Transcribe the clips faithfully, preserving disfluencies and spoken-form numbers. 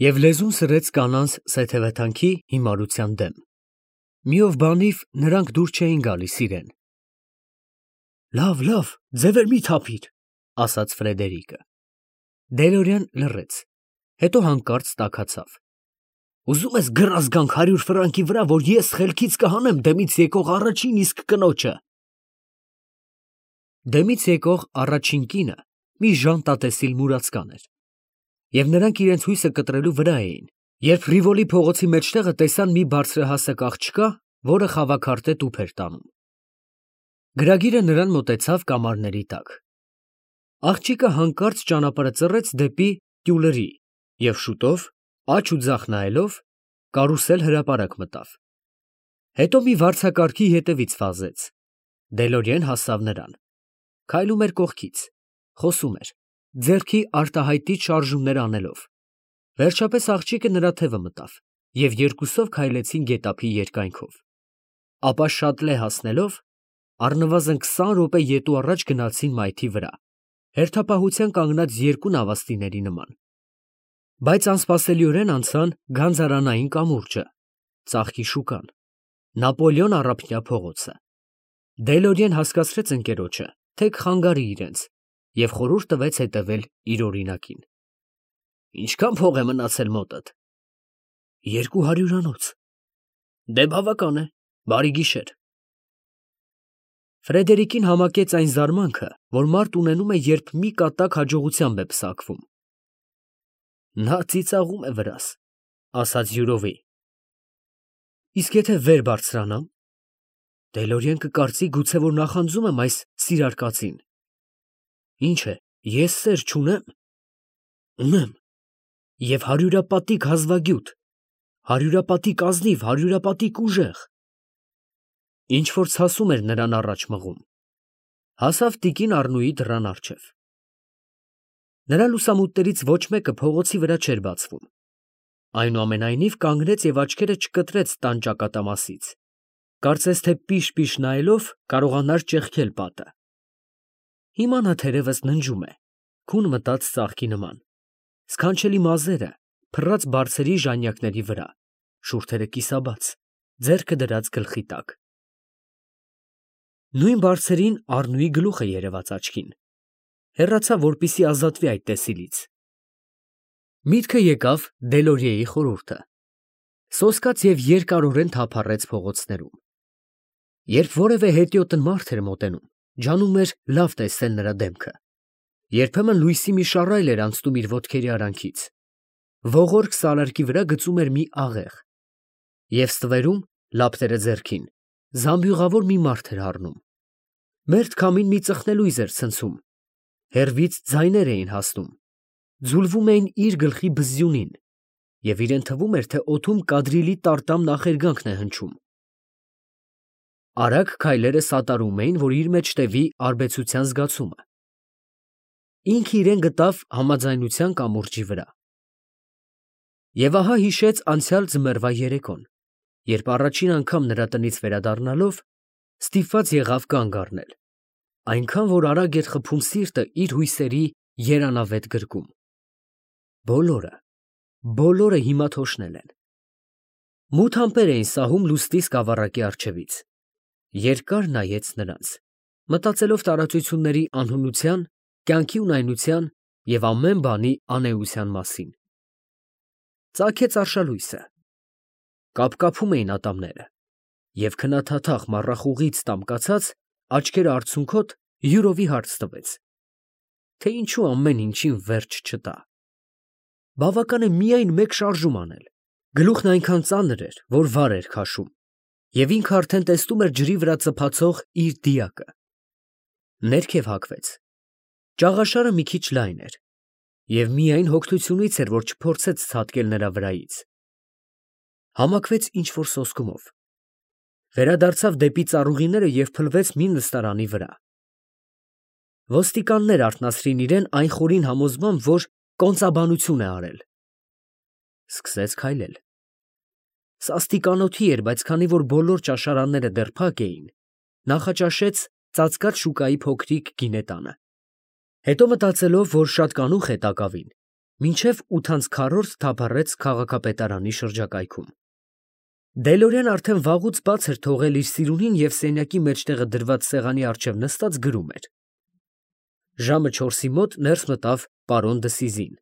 Եվ լեզուն սրեց կանանց սեթևեթանքի հիմարության դեմ։ Մի ով բանիվ նրանք դուր չէին գալիս իրեն։ Լավ, լավ, ձևեր մի թափիր, ասաց Ֆրեդերիկը։ Դելորյան լռեց, հետո հանկարծ տաքացավ։ Ուզում ես գրած գանք հարյուր ֆրանկի վրա, որ ես խելքից կհանեմ դեմից եկող առաջին իսկ կնոջը։ Դեմից եկող առաջին կինը մի ժանտատեսիլ մուրացկան էր, և նրանք իրենց հույսը կտրելու վրա էին, երբ Ռիվոլի փողոցի մեջտեղը տեսան մի բարձրահասակ աղջկա, որը խավաքարտե տուփ էր տանում։ Գրագիրը նրան մոտեցավ կամարների տակ։ Աղջիկը հանկարծ ճանապարհը ծռեց դեպի տյուլերի և շուտով, աջ ու ձախ նայելով, կարուսել հրապարակ մտավ։ Հետո մի վարձակարգի ետևից վազեց։ Դելորիեն հասավ նրան։ Քայլում էր կողքից, խոսում էր, ձեռքի արտահայտիչ շարժումներ անելով։ Վերջապես աղջիկը նրա թևը մտավ, և երկուսով քայլեցին գետափի երկայնքով։ Ապա շատ լե հասնելով, առնվազն քսան րոպե ետու առաջ գնացին մայթի վրա, հերթապահության կանգնած երկու նավաստիների նման։ Բայց անսպասելիորեն անցան Գանձարանային կամուրջը, ծաղկի շուկան, Նապոլեոն առափնյա փողոցը։ Դելորիեն հասկացրեց ընկերոջը, թե կխանգարի իրենց, և խորհուրդ տվեց հետևել իր օրինակին։ Ինչքան փող է մնացել մոտդ։ Երկու հարյուրանոց։ Դե բավական է, բարի գիշեր։ Ֆրեդերիկին համակեց այն զարմանքը, որ մարդ ունենում է, երբ մի կատակ հաջողությամբ է պսակվում։ Նա ծիծաղում է վրաս, ասաց յուրովի։ Իսկ եթե վեր բարձրանամ։ Դելորիեն կկարծի, գուցե որ նախանձում եմ այս սիրար կացին։ Ինչ է, ես սեր չունեմ։ Ունեմ։ Եվ հարյուրապատիկ հազվագյուտ, հարյուրապատիկ ազնիվ, հարյուրապատիկ ուժեղ։ Ինչ որ ցասում էր նրան առաջ մղում։ Հասավ տիկին Առնուի դռան առջև։ Նրա լուսամուտներից ոչ մեկը փողոցի վրա չէր բացվում։ Այնուամենայնիվ կանգնեց և աչքերը չկտրեց տան ճակատամասից, կարծես թե պիշ-պիշ նայելով կարողանար ճեղքել պատը։ Հիմա նա թերևս ննջում է, քուն մտած ծաղկի նման, սքանչելի մազերը փռած բարձրի ժանյակների վրա, շուրթերը կիսաբաց, ձեռքը դրած գլխի տակ։ Նույն բարձրին Առնուի գլուխը երևաց աչքին, հեռացավ, որպեսզի ազատվի այդ տեսիլից։ Միտքը եկավ Դելորիեի խորհուրդը։ Սոսկաց և երկարորեն թափառեց փողոցներում։ Երբ որևէ հետիոտն մարդ էր մոտենում, ջանում էր լավ տեսնել նրա դեմքը։ Երբեմն լույսի մի շառայլ էր անցնում իր ոտքերի արանքից։ Ողորկ սալարկի վրա գծում էր մի աղեղ, և ստվերում, լապտերը ձեռքին, զամբյուղավոր մի մարդ էր առնում։ Մերթ քամին մի ծխնելույզ էր ցնցում, հեռվից ձայներ էին հասնում, ձուլվում էին իր գլխի բզզյունին, և իրեն թվում էր, թե օդում կադրիլի տարտամ նախերգանքն է հնչում։ Արագ քայլերը սատարում էին, որ իր մեջ տևի արբեցության զգացումը։ Ինքը իրեն գտավ համաձայնության կամուրջի վրա։ Եվ ահա հիշեց անցյալ ձմեռվա երեկոն, երբ առաջին անգամ նրա տնից վերադառնալով ստիպված եղավ կանգ առնել, այնքան որ արագ էր խփում սիրտը իր հույսերի երանավետ գրկում։ Բոլորը, բոլորը հիմա թոշնել են։ Մութ ամպեր էին սահում լուսնի սկավառակի առջևից։ Երկար նայեց նրանց, մտածելով տարածությունների անհունության, կյանքի ունայնության և ամեն բանի անէության մասին։ Ծագեց արշալույսը։ Կապկապում էին ատամները, և քնաթաթախ մառախուղից տամկացած աչքերը արցունքոտ յուրովի հարց տվեց, թե ինչու ամեն ինչին վերջ չտա։ Բավական է միայն մեկ շարժում անել։ Գլուխն այնքան ծանր էր, որ վար էր քաշում, և ինքը արդեն տեսնում էր ջրի վրա ծփացող իր դիակը։ Ներքև հագվեց։ Ճաղաշարը մի քիչ լայն էր, և միայն հոգնությունից էր, որ չփորձեց ցատկել նրա վրայից։ Համակվեց ինչ֊որ սոսկումով։ Վերադարձավ դեպի ծառուղիները և փլվեց մի նստարանի վրա։ Ոստիկաններ արթնացրին իրեն այն խորին համոզմամբ, որ կոնծաբանություն է արել։ Սկսեց քայլել։ Սաստիկ անոթի էր, բայց քանի որ բոլոր ճաշարանները դեռ փակ էին, նախաճաշեց ծածկած շուկայի փոքրիկ գինետանը։ Հետո մտածելով, որ շատ կանուխ է տակավին, մինչև ութանցքառորդ թափառեց քաղաքապետարանի շրջակայքում։ Դելորյան արդեն վաղուց բաց էր թողել իր սիրունին և սենյակի մեջտեղը դրված սեղանի առջև նստած գրում էր։ Ժամը չորսի մոտ ներս մտավ պարոն Դսիզին։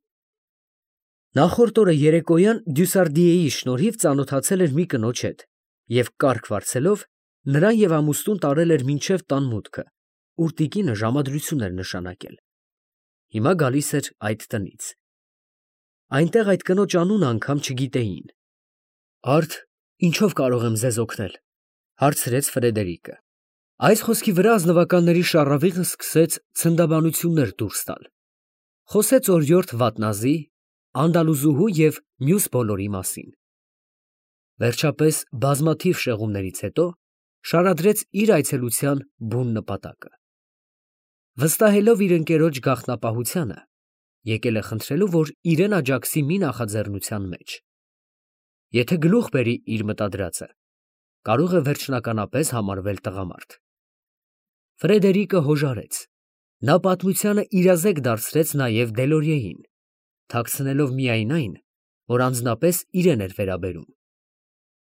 Նախորդ օրը երեկոյան Դյուսարդիեի շնորհիվ ծանոթացել էր մի կնոջ հետ և կառք վարձելով նրան և ամուսնուն տարել էր մինչև տան մուտքը, ուր տիկինը ժամադրություն էր նշանակել։ Հիմա գալիս էր այդ տնից։ Այնտեղ այդ կնոջ անունը անգամ չգիտեին։ Արդ, ինչով կարող եմ ձեզ օգնել, հարցրեց Ֆրեդերիկը։ Այս խոսքի վրա ազնվականների շառավիղը սկսեց ցնդաբանություններ դուրս տալ։ Խոսեց օրիորդ Վատնազի, անդալուզուհու և մյուս բոլորի մասին։ Վերջապես, բազմաթիվ շեղումներից հետո, շարադրեց իր այցելության բուն նպատակը։ Վստահելով իր ընկերոջ գաղտնապահությանը, եկել է խնդրելու, որ իրեն աջակցի մի նախաձեռնության մեջ։ Եթե գլուխ բերի իր մտադրածը, կարող է վերջնականապես համարվել տղամարդ։ Ֆրեդերիկը հոժարեց։ Նա պատմությանը իրազեկ դարձրեց նաև Դելորիեին, թաքցնելով միայն այն, որ անձնապես իրեն էր վերաբերում։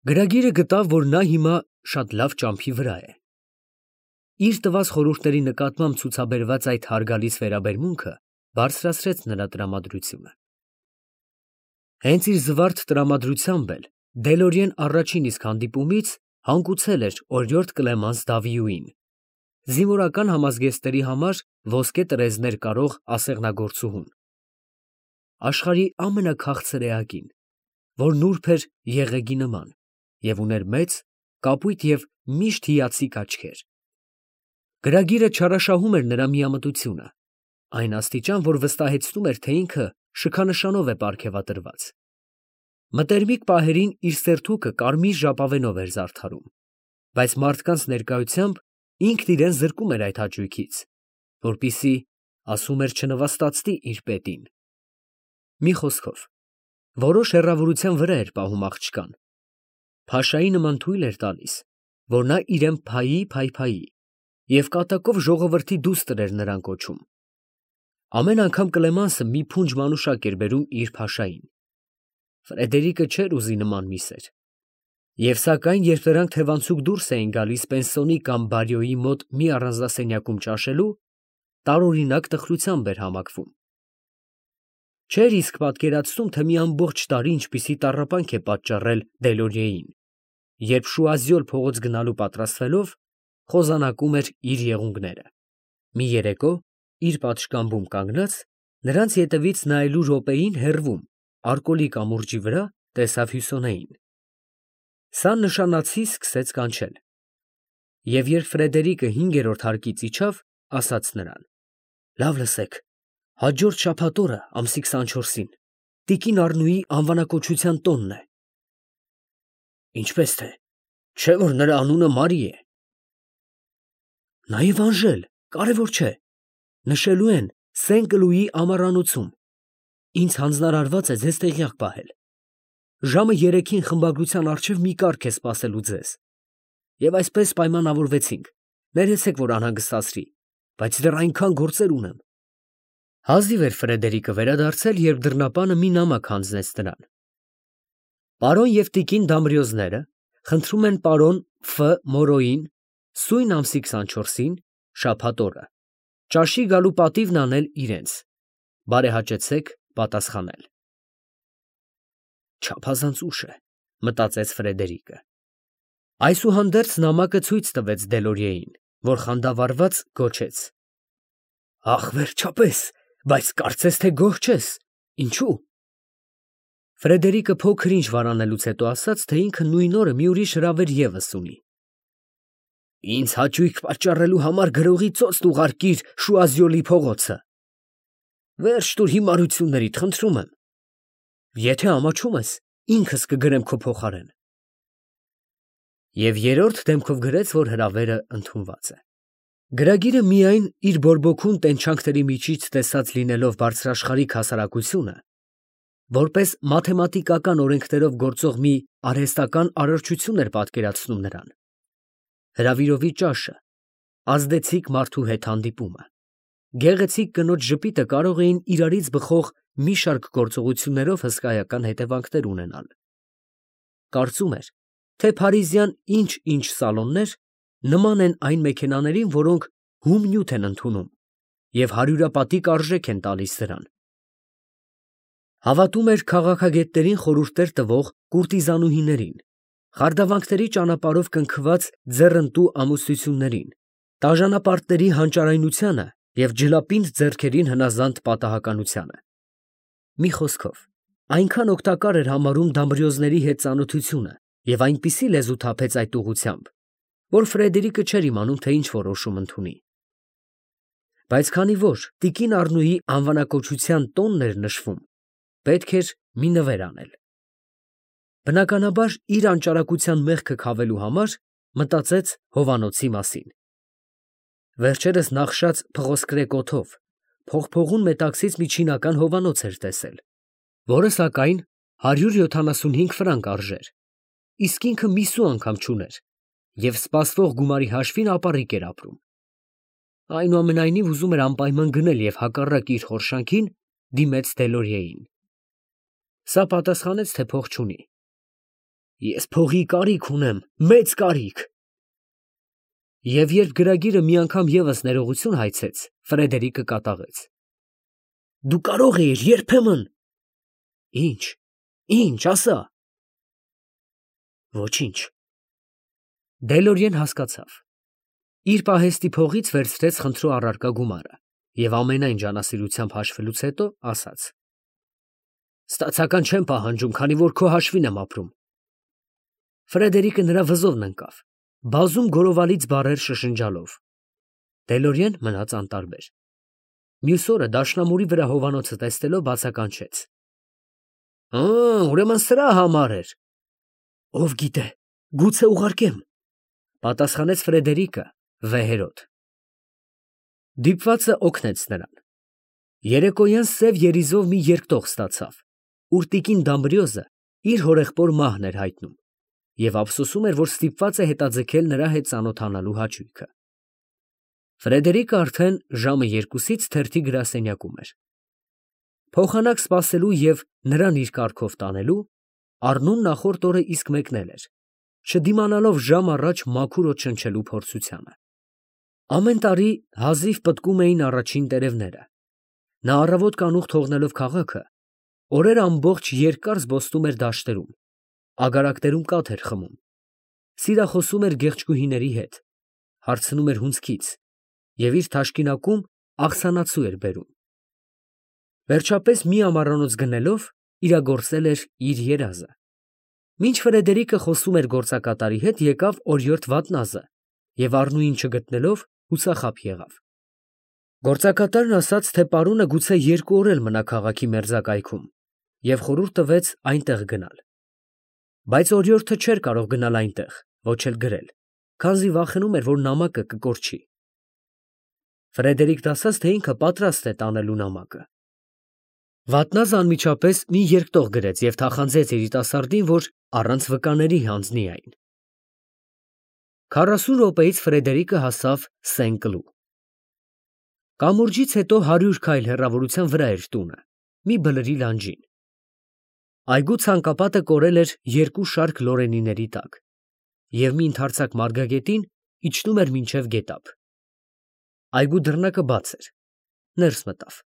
Գրագիրը գտավ, որ նա հիմա շատ լավ ճամփի վրա է։ Իր տված խորհուրդների նկատմամբ ցուցաբերված այդ հարգալից վերաբերմունքը բարձրացրեց նրա տրամադրությունը։ Հենց իր զվարթ տրամադրությամբ էլ Դելորիեն առաջին իսկ հանդիպումից հանգուցել էր օրիորդ Կլեմանս Դավիյուին, զինվորական համազգեստերի համար ոսկե տրեզներ կարող ասեղնագործուհուն, աշխարհի ամենաքաղցր էակին, որ նուրբ էր եղեգի նման և ուներ մեծ, կապույտ և միշտ հիացիկ աչքեր։ Գրագիրը չարաշահում էր նրա միամտությունը, այն աստիճան, որ վստահեցնում էր, թե ինքը շքանշանով է պարգևատրված։ Մտերմիկ պահերին իր սերթուկը կարմիր ժապավենով էր զարդարում, բայց մարդկանց ներկայությամբ ինքն իրեն զրկում էր այդ հաճույքից, որպեսզի, ասում էր, չնվաստացնի իր պետին։ Մի խոսքով, որոշ հեռավորության վրա էր պահում աղջկան, փաշայի նման թույլ էր տալիս, որ նա իրեն փայի փայփայի և կատակով ժողովրդի դուստր էր նրան կոչում։ Ամեն անգամ Կլեմանսը մի փունջ մանուշակ էր բերում իր փաշային։ Ֆրեդերիկը չէր ուզի նման մի սեր։ Եվ սակայն, երբ նրանք թևանցուկ դուրս էին գալիս Պենսիոնի կամ Բարյոյի մոտ մի առանձնասենյակում ճաշելու, տարօրինակ տխրությամբ էր համակվում։ Չէր իսկ պատկերացնում, թե մի ամբողջ տարի ինչպիսի տառապանք է պատճառել Դելորիեին, երբ Շուազյոլ փողոց գնալու պատրաստվելով, խոզանակում էր իր եղունգները։ Մի երեկո, իր պատշգամբում կանգնած, նրանց ետևից նայելու րոպեին հեռվում, արկոլի կամուրջի վրա, տեսավ Հյուսոնեին։ Սա նշանացի սկսեց կանչել։ Եվ երբ Ֆրեդերիկը հինգերորդ հարկից իջավ, ասաց նրան. «Լավ լսեք, հաջորդ շաբաթ օրը ամսի քսանչորսին տիկին Առնուի անվանակոչության տոնն է»։ Ինչպես թե, չէ՞ որ նրա անունը Մարի է։ Նաև Անժել, կարևոր չէ, նշելու են Սեն֊Կլուի ամառանոցում։ Ինձ հանձնարարված է ձեզ տեղյակ պահել։ Ժամը երեքին խմբագրության առջև մի կառք է սպասելու ձեզ։ Եվ այսպես պայմանավորվեցինք, ներեցեք, որ անհանգստացրի, բայց դեռ այնքան գործեր ունեմ։ Հազիվ էր Ֆրեդերիկը վերադարձել, երբ դռնապանը մի նամակ հանձնեց նրան։ Պարոն և տիկին Դամրիոզները խնդրում են պարոն Ֆ. Մորոյին սույն ամսի քսանչորսին, շաբաթ օրը, ճաշի գալու պատիվն անել իրենց։ Բարեհաճեցեք պատասխանել։ Չափազանց ուշ է, մտածեց Ֆրեդերիկը։ Այսուհանդերձ նամակը ցույց տվեց Դելորիեին, որ խանդավառված գոչեց. Ախ, վերջապես, բայց կարծես թե գոհ չես, ինչու՞։ Ֆրեդերիկը փոքր ինչ վարանելուց հետո ասաց, թե ինքը նույն օրը մի ուրիշ հրավեր ևս ունի։ Ինձ հաճույք պատճառելու համար գրողի ծոցն ուղարկիր Շուազյոլի փողոցը։ Վերջ տուր հիմարություններիդ, խնդրում եմ։ Եթե ամաչում ես, ինքս կգրեմ քո փոխարեն։ Եվ երրորդ դեմքով գրեց, որ հրավերը ընդունված է։ Գրագիրը միայն իր բորբոքուն տենչանքների միջից տեսած լինելով բարձրաշխարհիկ հասարակությունը, որպես մաթեմատիկական օրենքներով գործող մի արհեստական արարչություն էր պատկերացնում նրան։ Հրավիրովի ճաշը, ազդեցիկ մարդու հետ հանդիպումը, գեղեցիկ կնոջ ժպիտը կարող էին իրարից բխող մի շարք գործողություններով հսկայական հետևանքներ ունենալ։ Կարծում էր, թե փարիզյան ինչ-ինչ սալոններ նման են այն մեքենաներին, որոնք հում նյութ են ընդունում և հարյուրապատիկ արժեք են տալիս դրան։ Հավատում էր քաղաքագետներին խորհուրդներ տվող կուրտիզանուհիներին, խարդավանքների ճանապարհով կնքված ձեռնտու ամուսնություններին, տաժանապարտների հանճարայնությանը և ջլապինդ ձեռքերին հնազանդ պատահականությանը։ Մի խոսքով, այնքան օգտակար էր համարում դամբրիոզների հետ ծանոթությունը և այնպիսի լեզու թափեց այդ ուղղությամբ, որ Ֆրեդերիկը չէր իմանում, թե ինչ որոշում ընդունի։ Բայց քանի որ տիկին Առնուի անվանակոչության տոնն էր նշվում, պետք էր մի նվեր անել։ Բնականաբար, իր անճարակության մեղքը քավելու համար մտածեց հովանոցի մասին։ Վերջերս նախշած փղոսկրե կոթով փողփողուն մետաքսից մի չինական հովանոց էր տեսել, որը սակայն հարյուր յոթանասունհինգ ֆրանկ արժեր, իսկ ինքը մի սու անգամ չուներ և սպասվող գումարի հաշվին ապառիկ էր ապրում։ Այնուամենայնիվ ուզում էր անպայման գնել և հակառակ իր խորշանքին դիմեց Դելորիեին։ Սա պատասխանեց, թե փող չունի։ Ես փողի կարիք ունեմ, մեծ կարիք։ Եվ երբ գրագիրը մի անգամ ևս ներողություն հայցեց, Ֆրեդերիկը կատաղեց. Դու կարող էիր երբեմն… Ինչ, ինչ, ասա։ Ոչինչ։ Դելորիեն հասկացավ։ Իր պահեստի փողից վերցրեց խնդրու առարկա գումարը և ամենայն ջանասիրությամբ հաշվելուց հետո ասաց. Ստացական չեմ պահանջում, քանի որ քո հաշվին եմ ապրում։ Ֆրեդերիկը նրա վզովն ընկավ, բազում գորովալից բառեր շշնջալով։ Դելորիեն մնաց անտարբեր։ Մյուս օրը դաշնամուրի վրա հովանոցը տեսնելով բացականչեց. Ա, ուրեմն սրա համար էր։ Ով գիտե, գուցե ուղարկեմ, պատասխանեց Ֆրեդերիկը վեհերոտ։ Դիպվածը օգնեց նրան։ Երեկոյան սև երիզով մի երկտող ստացավ, ուր տիկին Դամբրիոզը իր հորեղբոր մահն էր հայտնում և ափսոսում էր, որ ստիպված է հետաձգել նրա հետ ծանոթանալու հաճույքը։ Ֆրեդերիկը արդեն ժամը երկուսից թերթի գրասենյակում էր։ Փոխանակ սպասելու և նրան իր կառքով տանելու Առնուն նախորդ օրը իսկ մեկնել էր, չդիմանալով ժամ առաջ մաքուր օդ շնչելու փորձությանը։ Ամեն տարի հազիվ պտկում էին առաջին տերևները։ Նա առավոտ կանուխ թողնելով քաղաքը, օրեր ամբողջ երկար զբոսնում էր դաշտերում, ագարակներում կաթ էր խմում, սիրախոսում էր գեղեցկուհիների հետ, հարցնում էր հունձքից և իր թաշկինակում աղսանացու էր բերում։ Վերջապես մի ամառանոց գնելով իրագործել էր իր երազը։ Մինչ Ֆրեդերիկը խոսում էր գործակատարի հետ, եկավ օրիորդ Վատնազը և Առնուին չգտնելով հուսախաբ եղավ։ Գործակատարն ասաց, թե պարոնը գուցե երկու օր էլ մնա քաղաքի մերձակայքում և խորհուրդ տվեց այնտեղ գնալ։ Բայց օրիորդը չէր կարող գնալ այնտեղ, ոչ էլ գրել, քանզի վախենում էր, որ նամակը կկորչի։ Ֆրեդերիկն ասաց, թե ինքը պատրաստ է տանելու նամակը։ Վատնազը անմիջապես մի երկտող գրեց և թախանձեց երիտասարդին, որ առանց վկաների հանձնի այն։ Քառասուն րոպեից Ֆրեդերիկը հասավ Սեն֊Կլու։ Կամուրջից հետո հարյուր քայլ հեռավորության վրա էր տունը, մի բլրի լանջին։ Այգու ցանկապատը կորել էր երկու շարք լորենիների տակ, և մի ընդարձակ մարգագետին իջնում էր մինչև գետափ։ Այգու դռնակը բաց էր, ներս մտավ։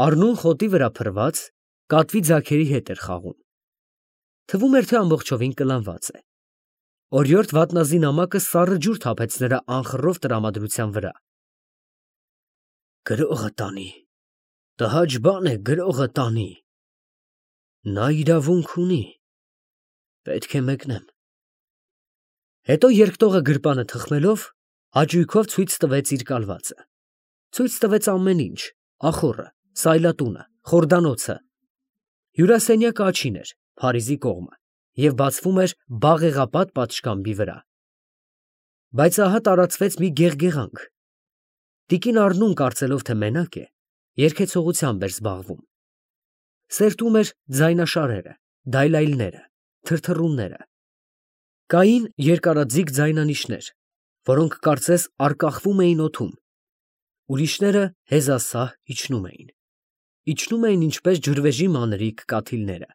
Առնուն խոտի վրա փռված, կատվի ձագերի հետ էր խաղում։ Թվում էր, թե ամբողջովին կլանված է։ Օրիորդ Վատնազի նամակը սառը ջուր թափեց նրա անխռով տրամադրության վրա։ Գրողը տանի, տհաճ բան է գրողը տանի։ Նա իրավունք ունի, պետք է մեկնեմ։ Հետո երկտողը գրպանը թխմելով, հաճույքով ցույց տվեց իր կալվածը։ Ցույց տվեց ամեն ինչ, ախոռը, սայլատունը, խորդանոցը։ Հյուրասենյակը աջին էր, Փարիզի կողմը, և բացվում էր բաղեղապատ պատշգամբի վրա։ Բայց ահա տարածվեց մի գեղգեղանք։ Տիկին Առնուն, կարծելով, թե մենակ է, երգեցողությամբ էր զբաղվում։ Սերտում էր ձայնաշարերը, դայլայլները, թրթռունները։ Կային երկարաձիգ ձայնանիշներ, որոնք կարծես առկախվում էին օդում, ուրիշները հեզասահ իջնում էին։ իջնում էին ինչպես ջրվեժի մանրիկ կաթիլները,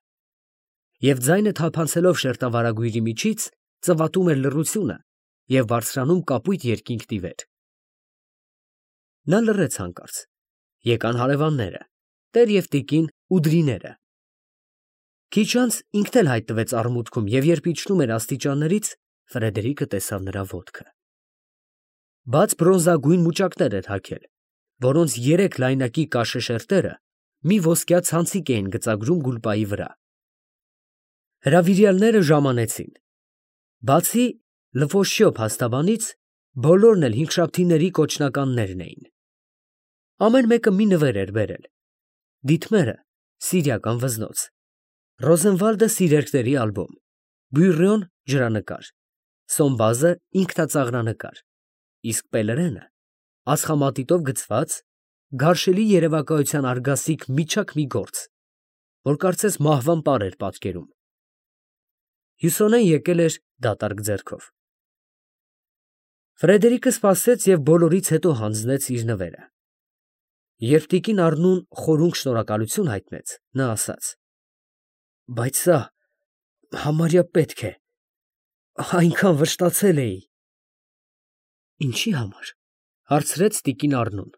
և ձայնը թափանցելով շերտավարագույրի միջից, ծվատում էր լռությունը և բարձրանում կապույտ երկինքն ի վեր։ Նա լռեց հանկարծ. եկան հարևանները, տեր և տիկին Ուդրիները։ Քիչ անց ինքն էլ հայտնվեց արմուտքում, և երբ իջնում էր աստիճաններից, Ֆրեդերիկը տեսավ նրա ոտքը։ Բաց բրոնզագույն մուճակներ էր հագել, որոնց երեք լայնակի կաշե շերտերը մի ոսկյա ցանցիկ էին գծագրում գուլպայի վրա։ Հրավիրյալները ժամանեցին։ Բացի Լվոշյո փաստաբանից, բոլորն էլ հինգշաբթիների կոչնականներն էին։ Ամեն մեկը մի նվեր էր բերել. Դիտմերը սիրիական վզնոց, Ռոզենվալդը սիրերքների ալբոմ, Բյուրրոն ջրանկար, Սոմբազը ինքնածաղրանկար, իսկ Պելերենը ածխամատիտով գծված, գարշելի երևակայության արգասիկ միջակ մի գործ, որ կարծես մահվան պար էր պատկերում։ Հյուսոնեն եկել էր դատարկ ձեռքով։ Ֆրեդերիկը սպասեց և բոլորից հետո հանձնեց իր նվերը։ Երբ տիկին Առնուն խորունկ շնորհակալություն հայտնեց, նա ասաց. Բայց սա համարյա պետք է, այնքան վշտացել էի։ Ինչի համար, հարցրեց տիկին Առնուն։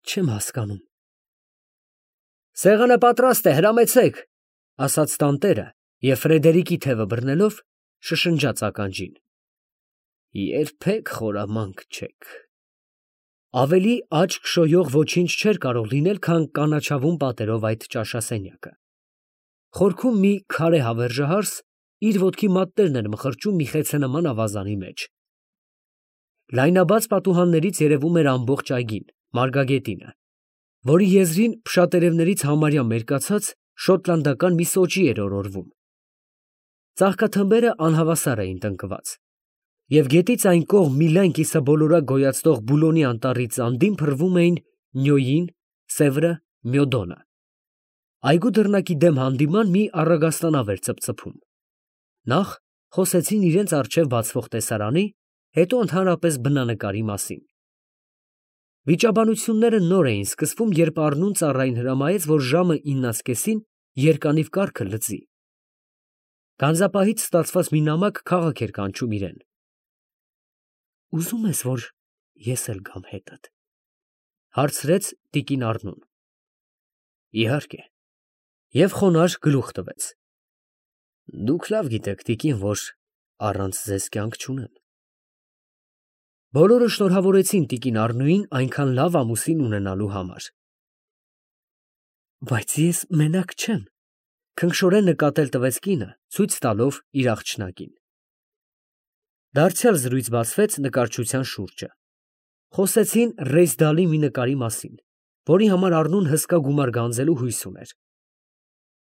Չեմ հասկանում։ Սեղանը պատրաստ է, հրամեցեք, ասաց տանտերը և Ֆրեդերիկի թևը բռնելով շշնջաց ականջին. երբեք խորամանկ չեք։ Ավելի աչք շոյող ոչինչ չէր կարող լինել, քան կանաչավուն պատերով այդ ճաշասենյակը։ Խորքում մի քարե հավերժահարս իր ոտքի մատներն էր մխրճում մի խեցենման ավազանի մեջ։ Լայնաբաց պատուհաններից երևում էր ամբողջ այգին, Մարգագետինը, որի եզրին փշատերևներից համարյա մերկացած շոտլանդական մի սոճի էր օրորվում։ Ծաղկաթմբերը անհավասար էին տնկված, և գետից այն կողմ մի լայն կիսաբոլորակ գոյացնող Բուլոնի անտառից անդին փռվում էին Նյոյին, Սևրը, Մյոդոնը։ Այգու դռնակի դեմ հանդիման մի առագաստանավ էր ծպծփում։ Նախ խոսեցին իրենց առջև բացվող տեսարանի, հետո ընդհանրապես բնանկարի մասին։ Վիճաբանությունները նոր էին սկսվում, երբ Առնուն ծառային հրամայեց, որ ժամը իննացկեսին երկանիվ կառքը լծի։ Գանձապահից ստացված մի նամակ քաղաք էր կանչում իրեն։ Ուզում ես, որ ես էլ գամ հետդ, հարցրեց տիկին Առնուն։ Իհարկե, և խոնարհ գլուխ տվեց։ Դուք լավ գիտեք, տիկին, որ առանց ձեզ կյանք չունեմ։ Բոլորը շնորհավորեցին տիկին Առնուին այնքան լավ ամուսին ունենալու համար։ Բայց ես մենակ չեմ, քնքշորեն նկատել տվեց կինը, ցույց տալով իր աղջնակին։ Դարձյալ զրույց բացվեց նկարչության շուրջը։ Խոսեցին Ռեյսդալի մի նկարի մասին, որի համար Առնուն հսկա գումար գանձելու հույս ուներ։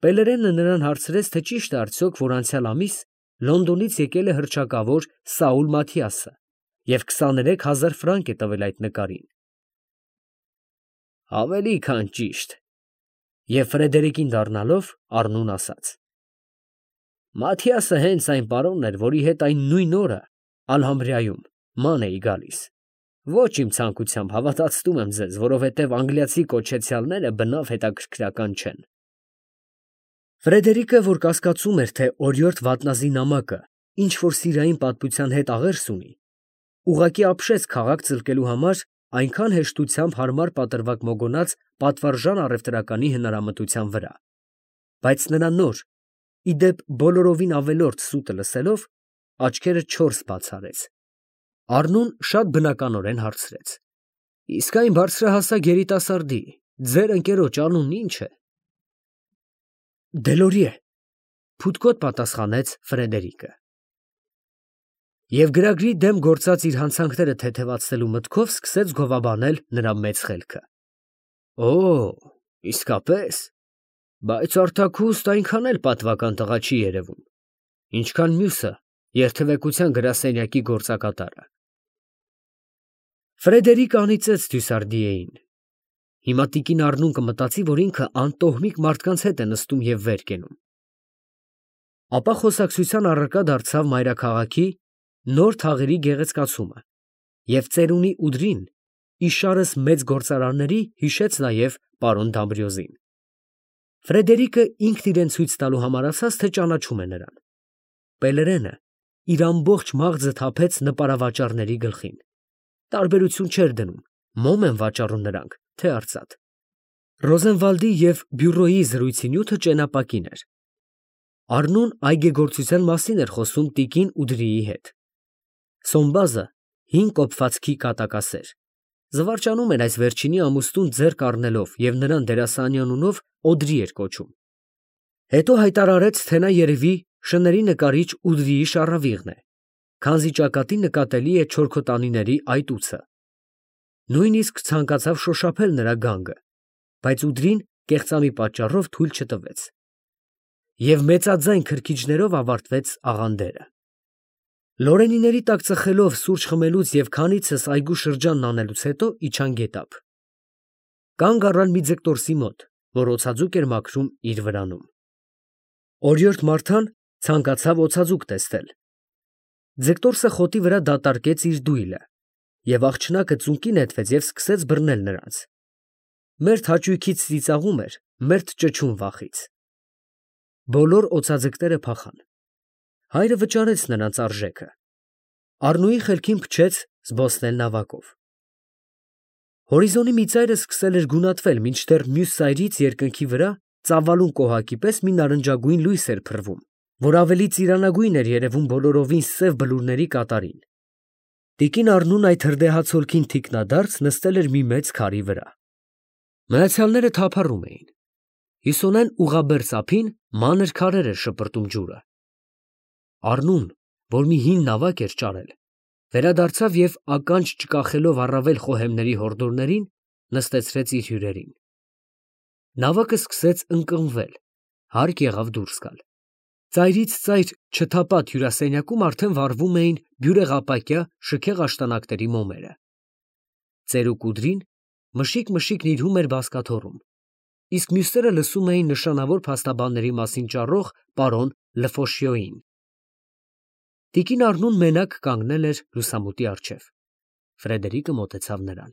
Պելերենը նրան հարցրեց, թե ճիշտ է արդյոք, որ անցյալ ամիս Լոնդոնից եկել է հռչակավոր Սաուլ Մաթիասը և քսաներեք հազար ֆրանկ է տվել այդ նկարին։ Ավելի քան ճիշտ։ Եվ Ֆրեդերիկին դառնալով Առնուն ասաց. Մաթիասը հենց այն պարոնն էր, որի հետ այն նույն օրը Ալհամբրայում ման էի գալիս։ Ոչ իմ ցանկությամբ, հավատացնում եմ ձեզ, որովհետև անգլիացի կոչեցյալները բնավ հետաքրքրական չեն։ Ֆրեդերիկը, որ կասկածում էր, թե օրիորդ վատնազի նամակը ինչ որ սիրային պատմության հետ աղերս ունի, ուղղակի ապշեց քաղաք ծլկելու համար այնքան հեշտությամբ հարմար պատրվակ մոգոնած պատվարժան առևտրականի հնարամտության վրա, բայց նրա նոր, ի դեպ բոլորովին ավելորդ սուտը լսելով, աչքերը չորս բաց արեց։ Առնուն շատ բնականորեն հարցրեց. Իսկ այն բարձրահասակ երիտասարդի, ձեր ընկերոջ անունն ի՞նչ է։ Դելորիե, փութկոտ պատասխանեց Ֆրեդերիկը։ Եվ գրագրի դեմ գործած իր հանցանքները թեթևացնելու մտքով սկսեց գովաբանել նրա մեծ խելքը։ Օ, իսկապես, բայց արտաքուստ այնքան էլ պատվական տղա չի երևում, ինչքան մյուսը երթևեկության գրասենյակի գործակատարը։ Ֆրեդերիկը անիծեց Դյուսարդիեին։ Հիմա տիկին Առնուն կմտածի, որ ինքը անտոհմիկ մարդկանց հետ է նստում և վեր կենում։ Ապա խոսակցության առարկա դարձավ մայրաքաղաքի նոր թաղերի գեղեցկացումը և ծերունի Ուդրին իշարս մեծ գործարանների հիշեց նաև պարոն Դամբրիոզին։ Ֆրեդերիկը ինքն իրեն ցույց տալու համար ասաց, թե ճանաչում է նրան։ Պելերենը իր ամբողջ մաղձը թափեց նպարավաճառների գլխին։ Տարբերություն չէր դնում, մոմ են վաճառում նրանք, թե արծաթ։ Ռոզենվալդի և բյուրոյի զրույցի նյութը ճենապակին էր։ Առնուն այգեգործության մասին էր խոսում տիկին Ուդրիի հետ։ Սոմբազը հին կոփվածքի կատակասեր։ Զվարճանում էր այս վերջինի ամուսնուն ձեռք առնելով և նրան դերասանի անունով Օդրի էր կոչում։ Հետո հայտարարեց, թե նա երևի շների նկարիչ Ուդրիի շառավիղն է, քանզի ճակատին նկատելի է չորքոտանիների այտուցը։ Նույնիսկ ցանկացավ շոշափել նրա գանգը, բայց Ուդրին կեղծամի պատճառով թույլ չտվեց։ Եվ մեծաձայն քրքիջներով ավարտվեց աղանդերը։ Լորենիների տակ ծխելով սուրճ խմելուց և քանիցս այգու շրջանն անելուց հետո իջան գետափ։ Կանգ առան մի ձկտորսի մոտ, որ օձաձուկ էր մաքրում իր վրանում։ Օրիորդ Մարթան ցանկացավ օձաձուկ տեսնել։ Ձկտորսը խոտի վրա դատարկեց իր դույլը, և աղջնակը ծունկի նետվեց և սկսեց բռնել նրանց։ Մերթ հաճույքից ծիծաղում էր, մերթ ճչում վախից։ Բոլոր օձաձկները փախան։ Հայրը վճարեց նրանց արժեքը։ Առնուի խելքին փչեց զբոսնել նավակով։ Հորիզոնի մի ծայրը սկսել էր գունատվել, մինչդեռ մյուս ծայրից երկնքի վրա ծավալուն կոհակի պես մի նարնջագույն լույս էր փռվում, որ ավելի ծիրանագույն էր երևում բոլորովին սև բլուրների կատարին։ Տիկին Առնուն այդ հրդեհացոլքին թիկնադարձ նստել էր մի մեծ քարի վրա։ Մնացյալները թափառում էին։ Հյուսոնեն ուղղաբերձ ափին մանր քարեր էր շպրտում ջուրը։ Առնուն, որ մի հին նավակ էր ճարել, վերադարձավ և ականջ չկախելով առավել խոհեմների հորդորներին, նստեցրեց իր հյուրերին։ Նավակը սկսեց ընկղմվել, հարկ եղավ դուրս գալ։ Ծայրից ծայր չթափած հյուրասենյակում արդեն վառվում էին բյուրեղապակյա շքեղ աշտանակների մոմերը։ Ծերուկ Ուդրին մշիկ֊մշիկ նիրհում էր բազկաթոռում, իսկ մյուսները լսում էին նշանավոր փաստաբանների մասին ճառող պարոն Լֆոշյոյին։ Տիկին Առնուն մենակ կանգնել էր լուսամուտի առջև։ Ֆրեդերիկը մոտեցավ նրան։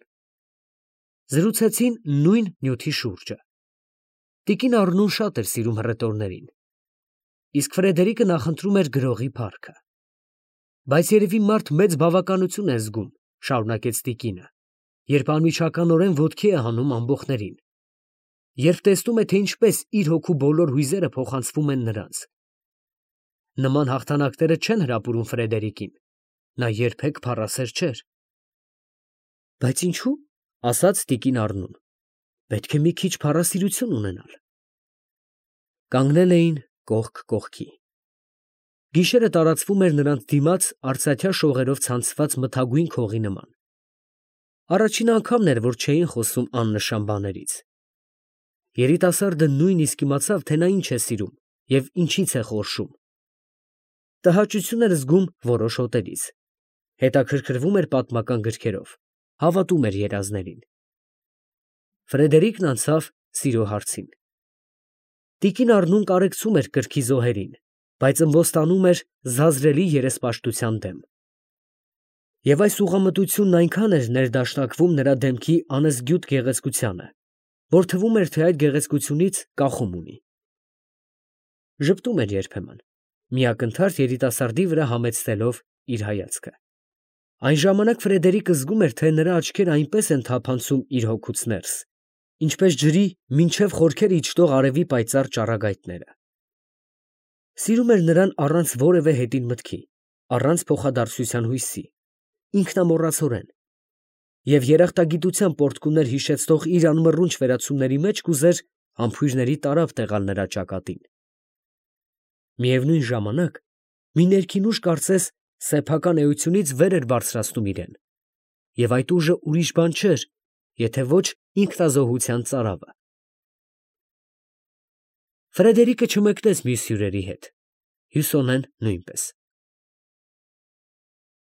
Զրուցեցին նույն նյութի շուրջը։ Տիկին Առնուն շատ էր սիրում հռետորներին, իսկ Ֆրեդերիկը նախընտրում էր գրողի փառքը։ Բայց երևի մարդ մեծ բավականություն է զգում, շարունակեց տիկինը, երբ անմիջականորեն ոտքի է հանում ամբոխներին, երբ տեսնում է, թե ինչպես իր հոգու բոլոր հույզերը փոխանցվում են նրանց։ Նման հաղթանակները չեն հրապուրում Ֆրեդերիկին, նա երբեք փառասեր չէր։ Բայց ինչու՞, ասաց տիկին Առնուն, պետք է մի քիչ փառասիրություն ունենալ։ Կանգնել էին կողք կողքի։ Գիշերը տարածվում էր նրանց դիմաց արծաթյա շողերով ցանցված մթագույն քողի նման։ Առաջին անգամն էր, որ չէին խոսում աննշան բաներից։ Երիտասարդը նույնիսկ իմացավ, թե նա ինչ է սիրում և ինչից է խորշում։ Տհաճություն էր զգում որոշ հոտերից, հետաքրքրվում էր պատմական գրքերով, հավատում էր երազներին։ Ֆրեդերիկն անցավ սիրո հարցին։ Տիկին Առնուն կարեկցում էր կրքի զոհերին, բայց ըմբոստանում էր զազրելի երեսպաշտության դեմ։ Եվ այս ուղղամտությունն այնքան էր ներդաշնակվում նրա դեմքի անզգյուտ գեղեցկությանը, որ թվում էր, թե այդ գեղեցկությունից կախում ունի։ Ժպտում էր երբեմն, միակնթարթ երիտասարդի վրա համեցնելով իր հայացքը։ Այն ժամանակ Ֆրեդերիկը զգում էր, թե նրա աչքերը այնպես են թափանցում իր հոգուց ներս, ինչպես ջրի մինչև խորքերը իջնող արևի պայծառ ճառագայթները։ Սիրում էր նրան առանց որևէ հետին մտքի, առանց փոխադարձության հույսի, ինքնամոռացորեն, և երախտագիտության պոռթկումներ հիշեցնող իր անմռունչ վերացումների մեջ կուզեր համբույրների տարափ տեղալ նրա ճակատին։ Միևնույն ժամանակ մի ներքին ուժ կարծես սեփական էությունից վեր էր բարձրացնում իրեն, և այդ ուժը ուրիշ բան չէր, եթե ոչ ինքնազոհության ծարավը։ Ֆրեդերիկը չմեկնեց մյուս հյուրերի հետ, Հյուսոնեն նույնպես։